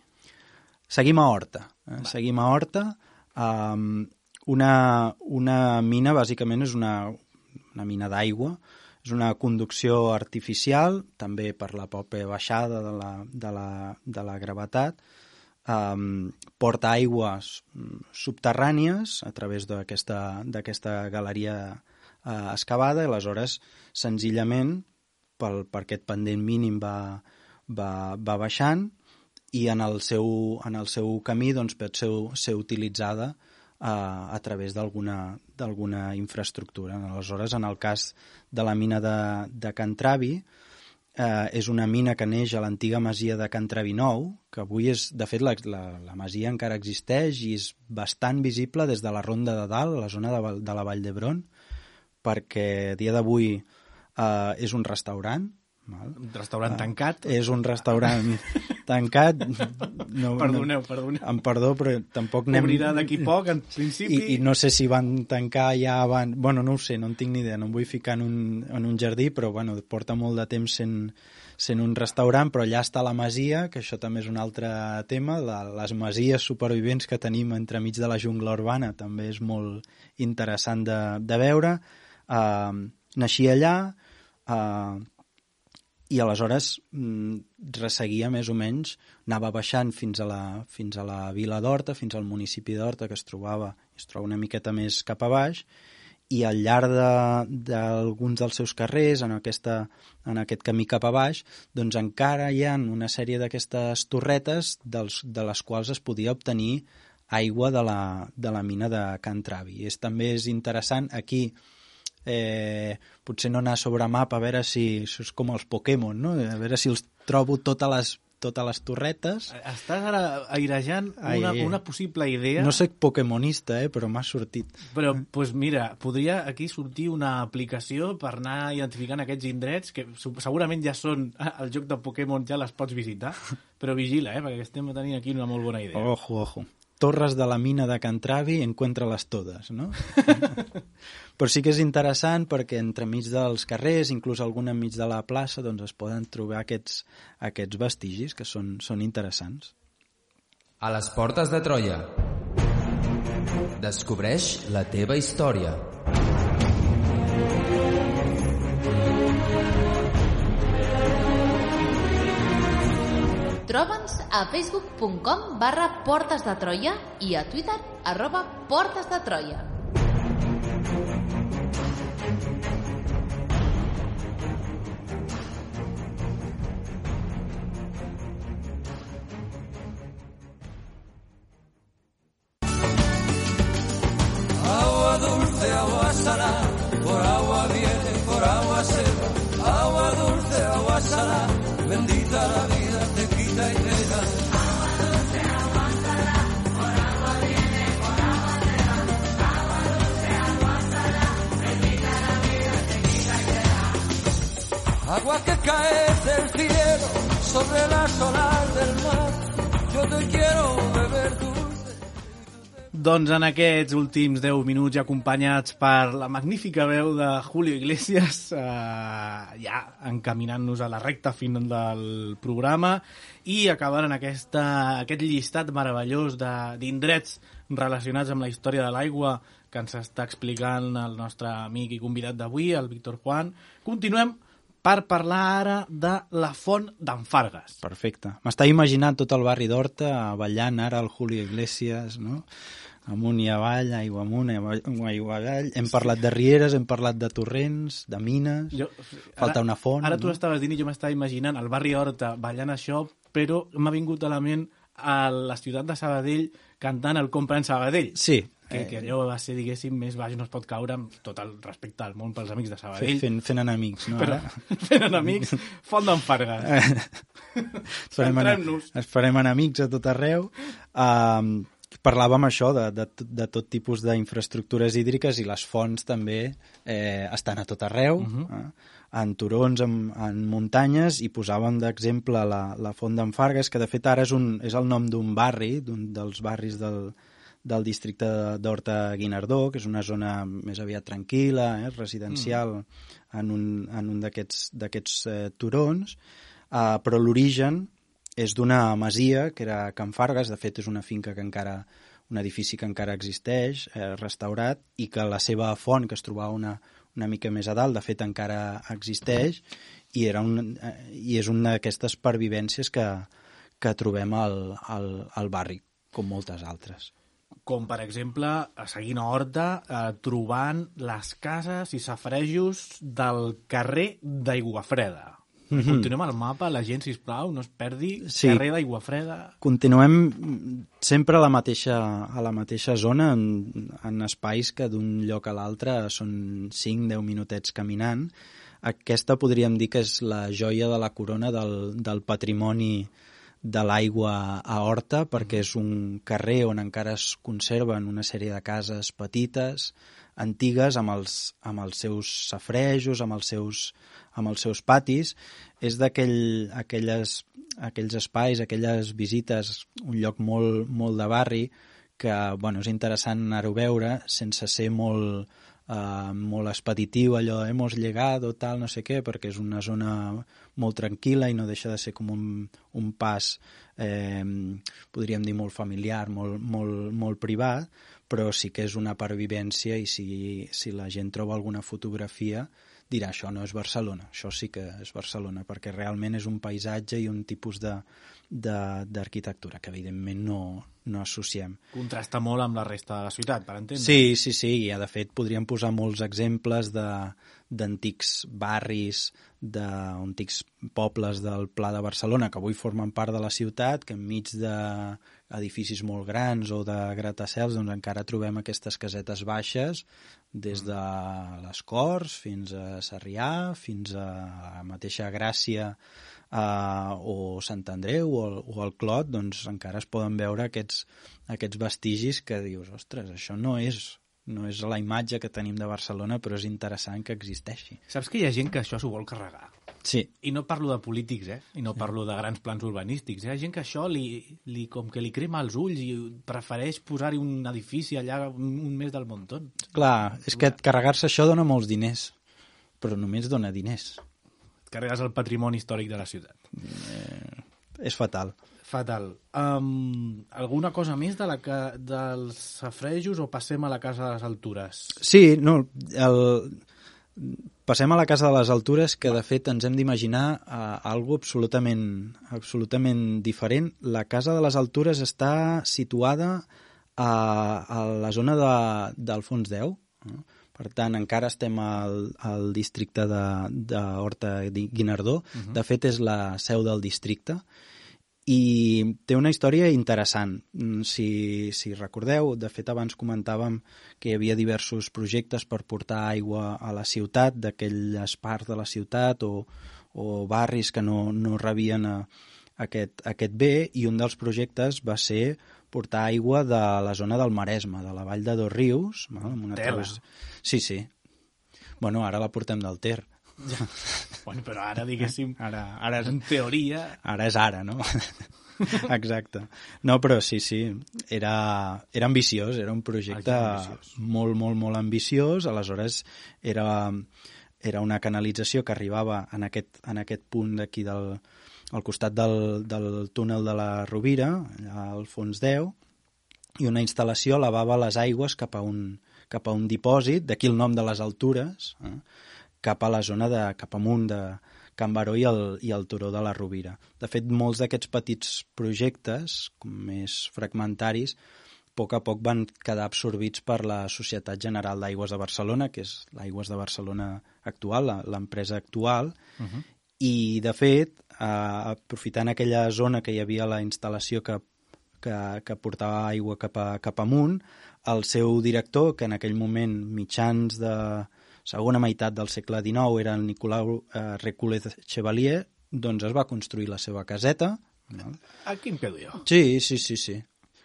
Seguim a Horta. Eh? Seguim a Horta. Um, una, una mina, bàsicament, és una, una mina d'aigua. És una conducció artificial, també per la pròpia baixada de la, de la, de la gravetat. Um, porta aigües subterrànies a través d'aquesta d'aquesta galeria uh, excavada, i aleshores, senzillament, pel, per aquest pendent mínim va, va, va baixant, i en el seu, en el seu camí doncs, pot ser, ser utilitzada uh, a través d'alguna d'alguna infraestructura. Aleshores, en el cas de la mina de, de Can Travi, eh, és una mina que neix a l'antiga masia de Can Travi Nou, que avui és, de fet, la, la, la masia encara existeix i és bastant visible des de la Ronda de Dalt, a la zona de, de la Vall d'Hebron, perquè a dia d'avui eh, és un restaurant. Val? Un restaurant uh, tancat. És un restaurant tancat. No, Perdoneu, no, perdoneu. Em perdó, però tampoc anem... Obrirà d'aquí poc, en principi. I, I no sé si van tancar ja abans... Bueno, no ho sé, no en tinc ni idea, no em vull ficar en un, en un jardí, però bueno, porta molt de temps sent, sent un restaurant, però allà està la masia, que això també és un altre tema, la, les masies supervivents que tenim entremig de la jungla urbana també és molt interessant de, de veure. Uh, naixia allà, uh, i aleshores mm, resseguia més o menys, anava baixant fins a la, fins a la vila d'Horta, fins al municipi d'Horta, que es trobava, es troba una miqueta més cap a baix, i al llarg d'alguns de, dels seus carrers, en, aquesta, en aquest camí cap a baix, doncs encara hi ha una sèrie d'aquestes torretes dels, de les quals es podia obtenir aigua de la, de la mina de Can Travi. És, també és interessant aquí. Eh, potser no anar sobre mapa a veure si això és com els Pokémon, no? A veure si els trobo totes les, totes les torretes. Estàs ara airejant una, Ai, una possible idea. No soc pokémonista, eh, però m'ha sortit. Però, doncs pues mira, podria aquí sortir una aplicació per anar identificant aquests indrets que segurament ja són el joc de Pokémon, ja les pots visitar, però vigila, eh, perquè estem tenint aquí una molt bona idea. Ojo, ojo. Torres de la mina de Can Travi, encuentra-les totes, no? Però sí que és interessant perquè entremig dels carrers, inclús algun enmig de la plaça, doncs es poden trobar aquests, aquests vestigis que són, són interessants. A les portes de Troia. Descobreix la teva història. Troba'ns a facebook punt com barra Portes de Troia i a Twitter arroba Portes de Troia. Agua dulce, agua salada, por agua viene, por agua se va. Agua dulce, agua salada, bendita la vida, te quita y te da. Agua dulce, agua salada, por agua viene, por agua se va. Agua dulce, agua salada, bendita la vida, te quita y te da. Agua que cae del cielo sobre las olas del mar, yo te quiero beber dulce. Doncs en aquests últims deu minuts, acompanyats per la magnífica veu de Julio Iglesias, eh, ja encaminant-nos a la recta final del programa i acabant en aquesta, aquest llistat meravellós d'indrets relacionats amb la història de l'aigua que ens està explicant el nostre amic i convidat d'avui, el Víctor Juan. Continuem per parlar ara de la font d'en Fargues. Perfecte. M'està imaginant tot el barri d'Horta ballant ara el Julio Iglesias, no? Amunt i avall, aigua amunt, aigua avall. Hem parlat de rieres, hem parlat de torrents, de mines, jo, falta ara, una font. Ara tu no? estaves dient i jo m'estava imaginant el barri Horta ballant això, però m'ha vingut a la ment a la ciutat de Sabadell cantant el Compra en Sabadell. Sí. Que, que allò va ser, diguéssim, més baix, no es pot caure amb tot el respecte al món pels amics de Sabadell. Fent, fent enemics, no? Però, fent enemics, font d'en Fargues. Centrem-nos. Es farem enemics a tot arreu. Um, parlàvem això de, de, de tot tipus d'infraestructures hídriques i les fonts també eh, estan a tot arreu, uh-huh. eh, en turons, en, en muntanyes, i posàvem d'exemple la, la font d'en Fargues, que de fet ara és, un, és el nom d'un barri, d'un dels barris del, del districte d'Horta-Guinardó, que és una zona més aviat tranquil·la, eh, residencial, mm. en un, en un d'aquests eh, turons, eh, però l'origen és d'una masia que era Can Fargues. De fet és una finca que encara, un edifici que encara existeix, eh, restaurat, i que la seva font, que es trobava una, una mica més a dalt, de fet encara existeix, i, era un, eh, i és una d'aquestes pervivències que, que trobem al, al, al barri, com moltes altres. Com, per exemple, seguint a Horta, eh, trobant les cases i safarejos del carrer d'Aiguafreda. Mm-hmm. Continuem al mapa, la gent, sisplau, no es perdi. Sí. Carrer d'Aiguafreda. Continuem sempre a la mateixa, a la mateixa zona, en, en espais que d'un lloc a l'altre són cinc a deu minutets caminant. Aquesta podríem dir que és la joia de la corona del, del patrimoni de l'aigua a Horta, perquè és un carrer on encara es conserven una sèrie de cases petites, antigues, amb els, amb els seus safarejos, amb els seus, amb els seus patis. És d'aquell, aquelles, aquells espais, aquelles visites, un lloc molt, molt de barri, que bueno, és interessant anar-ho a veure sense ser molt, Uh, molt expeditiu, allò, hemos llegado, tal, no sé què, perquè és una zona molt tranquil·la i no deixa de ser com un, un pas, eh, podríem dir, molt familiar, molt, molt, molt privat, però sí que és una pervivència, i si, si la gent troba alguna fotografia dirà, això no és Barcelona, això sí que és Barcelona, perquè realment és un paisatge i un tipus de, de, d'arquitectura que evidentment no, no associem. Contrasta molt amb la resta de la ciutat, per entendre. Sí, sí, sí, i de fet podríem posar molts exemples de, d'antics barris, d'antics pobles del Pla de Barcelona que avui formen part de la ciutat, que enmig d'edificis molt grans o de gratacels doncs encara trobem aquestes casetes baixes, des de les Corts fins a Sarrià, fins a la mateixa Gràcia, Uh, o Sant Andreu o el, o el Clot, doncs encara es poden veure aquests, aquests vestigis que dius, ostres, això no és, no és la imatge que tenim de Barcelona, però és interessant que existeixi. Saps que hi ha gent que això s'ho vol carregar? Sí. I no parlo de polítics, eh? I no parlo de grans plans urbanístics. Hi ha gent que això li, li, com que li crema els ulls i prefereix posar-hi un edifici allà un, un mes del muntó. Clar, és que carregar-se això dona molts diners, però només dona diners. Carregues el patrimoni històric de la ciutat. Eh, és fatal. Fatal. Um, alguna cosa més de la que, dels safarejos o passem a la Casa de les Altures? Sí, no, el, passem a la Casa de les Altures, que de fet ens hem d'imaginar uh, algo absolutament, absolutament diferent. La Casa de les Altures està situada a, a la zona de, d'Alfons X, no? Per tant, encara estem al, al districte de, de Horta-Guinardó. Uh-huh. De fet, és la seu del districte. I té una història interessant. Si, si recordeu, de fet, abans comentàvem que hi havia diversos projectes per portar aigua a la ciutat, d'aquelles parts de la ciutat o, o barris que no, no rebien a, aquest, aquest bé, i un dels projectes va ser portar aigua de la zona del Maresme, de la vall de Dosrius. Amb una Tela. Través... Sí, sí. Bueno, ara la portem del Ter. Ja. Bueno, però ara, diguéssim, ara, ara és en teoria... Ara és ara, no? Exacte. No, però sí, sí, era, era ambiciós, era un projecte ambiciós. molt, molt, molt ambiciós, aleshores era, era una canalització que arribava en aquest, en aquest punt d'aquí del, al costat del, del túnel de la Rovira, allà al fons deu, i una instal·lació lavava les aigües cap a un, cap a un dipòsit, d'aquí el nom de les altures, eh, cap a la zona de, cap amunt de Can Baró i el, i el Turó de la Rovira. De fet, molts d'aquests petits projectes, com més fragmentaris, a poc a poc van quedar absorbits per la Societat General d'Aigües de Barcelona, que és l'Aigües de Barcelona actual, l'empresa actual, uh-huh. I, de fet, eh, aprofitant aquella zona que hi havia la instal·lació que, que, que portava aigua cap, a, cap amunt, el seu director, que en aquell moment, mitjans de segona meitat del segle dinou, era el Nicolau eh, Reculez Chevalier, doncs es va construir la seva caseta. No? Aquí em quedo jo. Sí, sí, sí, sí,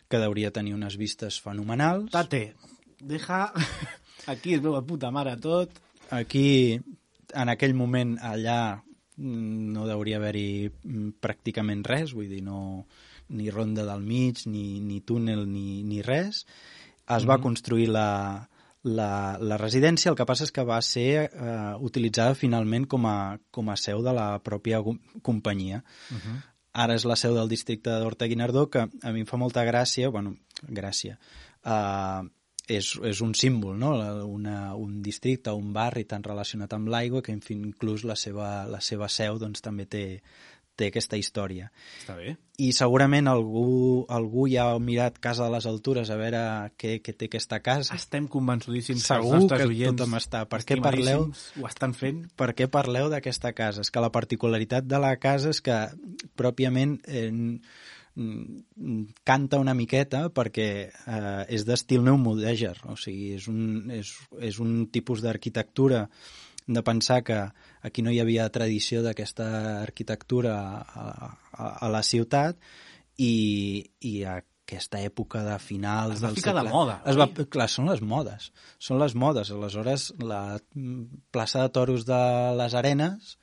que hauria tenir unes vistes fenomenals. Tate, deja... Aquí es veu a puta mare tot. Aquí, en aquell moment, allà no hauria haver-hi pràcticament res, vull dir, no, ni ronda del mig, ni, ni túnel, ni, ni res. Es mm-hmm. va construir la, la, la residència, el que passa és que va ser eh, utilitzada finalment com a, com a seu de la pròpia companyia. Mm-hmm. Ara és la seu del districte d'Horta-Guinardó, que a mi em fa molta gràcia, bueno, gràcia, eh, és, és un símbol, no? Una, un districte, un barri tan relacionat amb l'aigua que inclús la seva, la seva seu doncs, també té, té aquesta història. Està bé. I segurament algú, algú ja ha mirat Casa de les Altures a veure què, què té aquesta casa. Estem convençudíssims Segur que els nostres que oients tothom està. Per què parleu, ho estan fent? Per què parleu d'aquesta casa? És que la particularitat de la casa és que pròpiament eh, canta una miqueta perquè eh, és d'estil neomudèjar, o sigui, és un, és, és un tipus d'arquitectura de pensar que aquí no hi havia tradició d'aquesta arquitectura a, a, a la ciutat i, i a aquesta època de finals del segle... Es va ficar de moda. Es va, clar, són les modes. Són les modes. Aleshores, la plaça de toros de les Arenes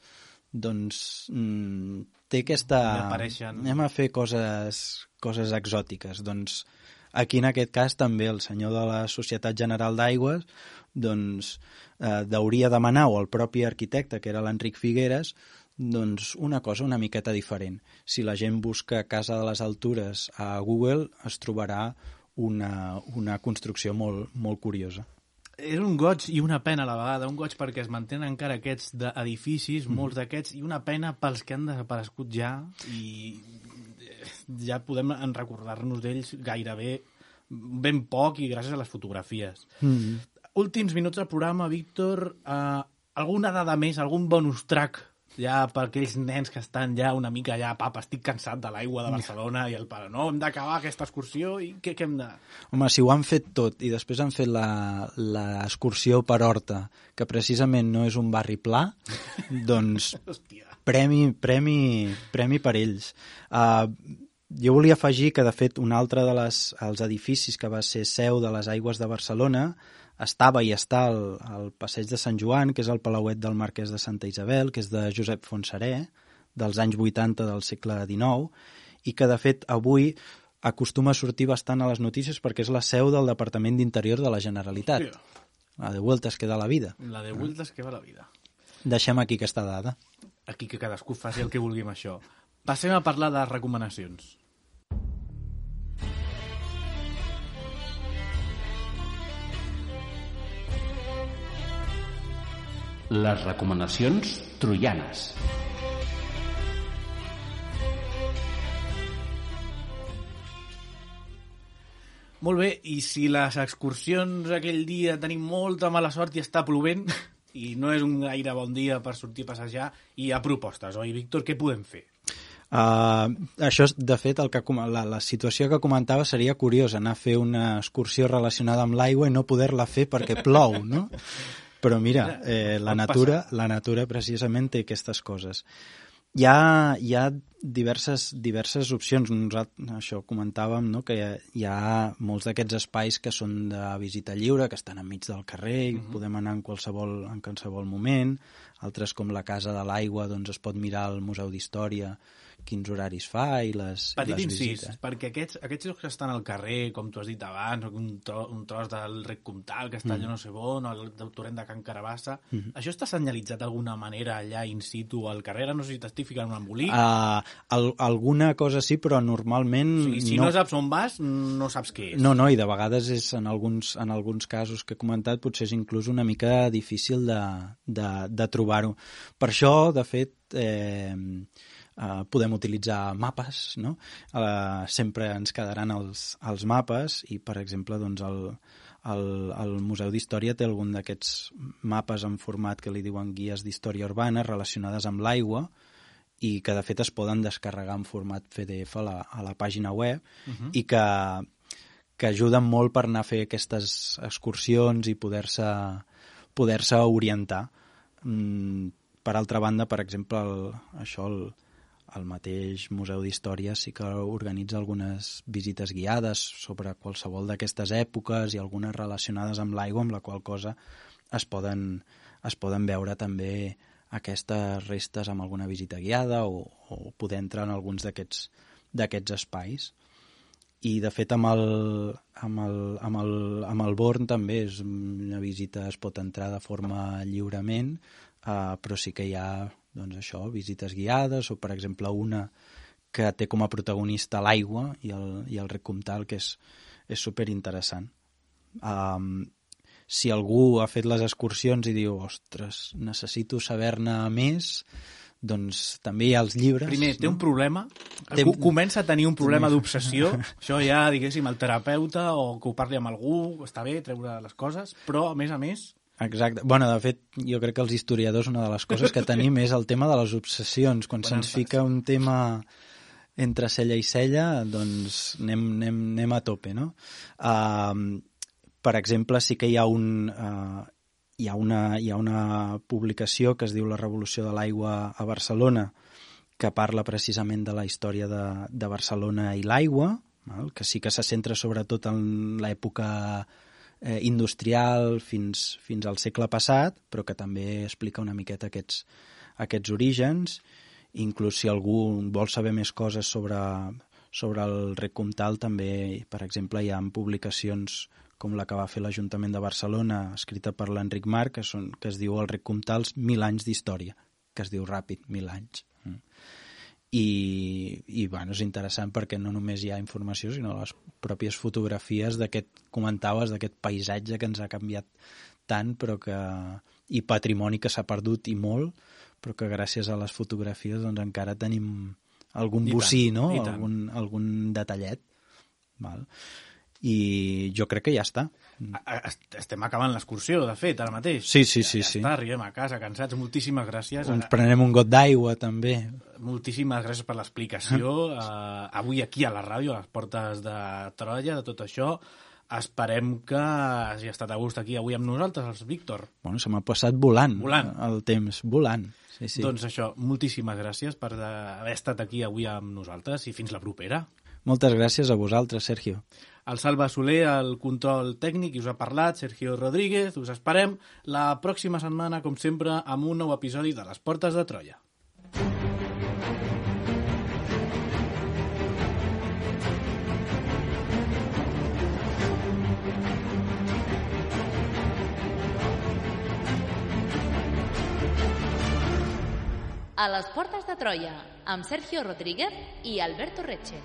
doncs mmm, té aquesta... Anem a fer coses, coses exòtiques. Doncs aquí, en aquest cas, també el senyor de la Societat General d'Aigües doncs, eh, hauria demanar, o el propi arquitecte, que era l'Enric Figueres, doncs una cosa una miqueta diferent. Si la gent busca Casa de les Altures a Google, es trobarà una, una construcció molt, molt curiosa. És un goig i una pena a la vegada, un goig perquè es mantenen encara aquests edificis, mm. molts d'aquests, i una pena pels que han desaparegut ja, i ja podem recordar-nos d'ells gairebé ben poc i gràcies a les fotografies. Mm. Últims minuts del programa, Víctor, eh, alguna dada més, algun bonus track ja per aquells nens que estan ja una mica ja, papa, estic cansat de l'aigua de Barcelona i el pare, no, hem d'acabar aquesta excursió i què, què hem de... Home, si ho han fet tot i després han fet l'excursió per Horta, que precisament no és un barri pla, doncs premi, premi, premi per ells. Uh, jo volia afegir que, de fet, un altre dels edificis que va ser seu de les Aigües de Barcelona estava i està al, al Passeig de Sant Joan, que és el Palauet del Marquès de Santa Isabel, que és de Josep Fontserè, dels anys vuitanta del segle dinou, i que, de fet, avui acostuma a sortir bastant a les notícies perquè és la seu del Departament d'Interior de la Generalitat. Sí. La de vueltas que da la vida. La de vueltas que va la vida. Deixem aquí aquesta dada. Aquí que cadascú faci el que vulgui amb això. Passem a parlar de recomanacions. Les recomanacions troianes. Molt bé, i si les excursions aquell dia tenim molta mala sort i està plovent i no és un gaire bon dia per sortir a passejar, hi ha propostes, oi, Víctor? Què podem fer? Uh, això, de fet, el que, la, la situació que comentava seria curiosa, anar a fer una excursió relacionada amb l'aigua i no poder-la fer perquè plou, no? Però mira, eh, la, natura, la natura precisament té aquestes coses. Hi ha, hi ha diverses, diverses opcions. Nosaltres, això comentàvem, no? Que hi ha, hi ha molts d'aquests espais que són de visita lliure, que estan enmig del carrer i uh-huh. podem anar en qualsevol, en qualsevol moment. Altres, com la Casa de l'Aigua, doncs es pot mirar al Museu d'Història, quins horaris fa i les, Petit les incís, visites. perquè aquests, aquests llocs que estan al carrer, com tu has dit abans, un, tro, un tros del Rec Comtal, que està allà Mm. no sé on, o el del torrent de Can Carabassa, Mhm. això està senyalitzat d'alguna manera allà in situ al carrer? Ara no sé si t'estic ficant un embolic. Uh, al, alguna cosa sí, però normalment... O sigui, si no. no saps on vas, no saps què és. No, no, i de vegades és en alguns, en alguns casos que he comentat potser és inclús una mica difícil de, de, de trobar-ho. Per això, de fet, eh, eh, podem utilitzar mapes, no? Eh, sempre ens quedaran els, els mapes i, per exemple, doncs el, el, el Museu d'Història té algun d'aquests mapes en format que li diuen guies d'història urbana relacionades amb l'aigua i que, de fet, es poden descarregar en format P D F a la, a la pàgina web Uh-huh. i que que ajuden molt per anar a fer aquestes excursions i poder-se poder-se orientar. Mm, per altra banda, per exemple, el, això, el, el mateix Museu d'Història sí que organitza algunes visites guiades sobre qualsevol d'aquestes èpoques i algunes relacionades amb l'aigua, amb la qual cosa es poden, es poden veure també aquestes restes amb alguna visita guiada o, o poder entrar en alguns d'aquests d'aquests espais. I, de fet, amb el, amb el, amb el, amb el Born també és una visita, es pot entrar de forma lliurement, eh, però sí que hi ha, doncs això, visites guiades, o, per exemple, una que té com a protagonista l'aigua i el, i el Rec Comtal, que és, és superinteressant. Um, si algú ha fet les excursions i diu, ostres, necessito saber-ne més, doncs també hi ha els llibres. Primer, té no? un problema, Té- comença a tenir un problema d'obsessió, això ja, diguéssim, el terapeuta o que ho parli amb algú, està bé treure les coses, però, a més a més... Exacte. Bueno, de fet, jo crec que els historiadors una de les coses que tenim és el tema de les obsessions. Quan Quan se'ns ens fica un tema entre cella i cella, doncs anem, anem, anem a tope, no? Uh, per exemple, sí que hi ha un... Uh, hi ha, una, hi ha una publicació que es diu La revolució de l'aigua a Barcelona, que parla precisament de la història de, de Barcelona i l'aigua, val? Que sí que se centra sobretot en l'època eh, industrial fins, fins al segle passat, però que també explica una miqueta aquests, aquests orígens. Inclús si algú vol saber més coses sobre, sobre el Rec Comtal, també, per exemple, hi ha publicacions com la que va fer l'Ajuntament de Barcelona, escrita per l'Enric Marc, que, són, que es diu El Rec Comtals, mil anys d'història, que es diu ràpid, mil anys. I, i bueno, és interessant perquè no només hi ha informació, sinó les pròpies fotografies d'aquest, comentaves, d'aquest paisatge que ens ha canviat tant, però que, i patrimoni que s'ha perdut i molt, però que gràcies a les fotografies doncs, encara tenim algun I bocí, tant, no? i tant. Algun, algun detallet. Val? I jo crec que ja està. A- est- Estem acabant l'excursió, de fet, ara mateix. Sí, sí, ja, sí, ja sí. està, arribem a casa, cansats. Moltíssimes gràcies. Ens prenem un got d'aigua, també. Moltíssimes gràcies per l'explicació. Uh, avui aquí a la ràdio, a les portes de Troia, de tot això. Esperem que hagi estat a gust aquí avui amb nosaltres, els Víctor. Bueno, se m'ha passat volant, Volant. el temps, volant. Sí, sí. Doncs això, moltíssimes gràcies per eh, haver estat aquí avui amb nosaltres i fins la propera. Moltes gràcies a vosaltres, Sergio. El Salva Soler, el control tècnic, i us ha parlat, Sergio Rodríguez. Us esperem la pròxima setmana, com sempre, amb un nou episodi de Les Portes de Troia. A les portes de Troia, amb Sergio Rodríguez i Alberto Reche.